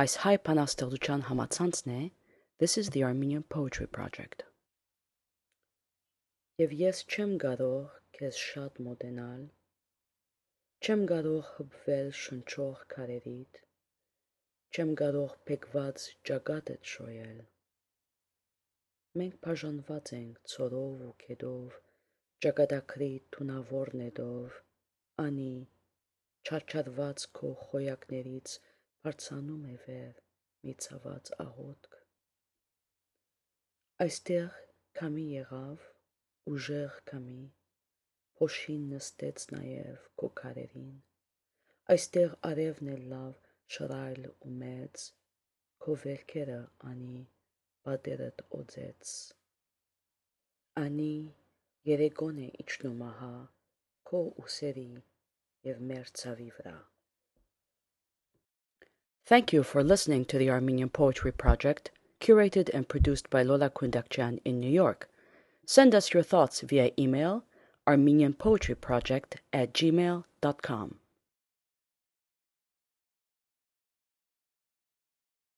Այս հայ բանաստեղծության համացանցն է This is the Armenian Poetry Project. Եվ ես չեմ կարող քեզ շատ մոտենալ, չեմ կարող հպվել շնչող քարերիդ, չեմ կարող փեքված ճակատդ շոյել։ Մենք բաժանված ենք ցորով ու քեդով, ճակատագրի թունավոր նետով, անի չարչարված քո խոյակներից բարձանում է վեր մի ցաված աղոթք։ Այստեղ քամի եղավ, ուժեղ քամի, փոշին նստեց նաև քո քարերին, այստեղ արևն է լավ շռայլ ու մեծ, քո վերքերը անի պատերդ օձեց, անի երեկոն է իջնում ահա քո ուսերի և մեր ցավի վրա։ Thank you for listening to the Armenian Poetry Project, curated and produced by Lola Kundakjian in New York. Send us your thoughts via email armenianpoetryproject@gmail.com.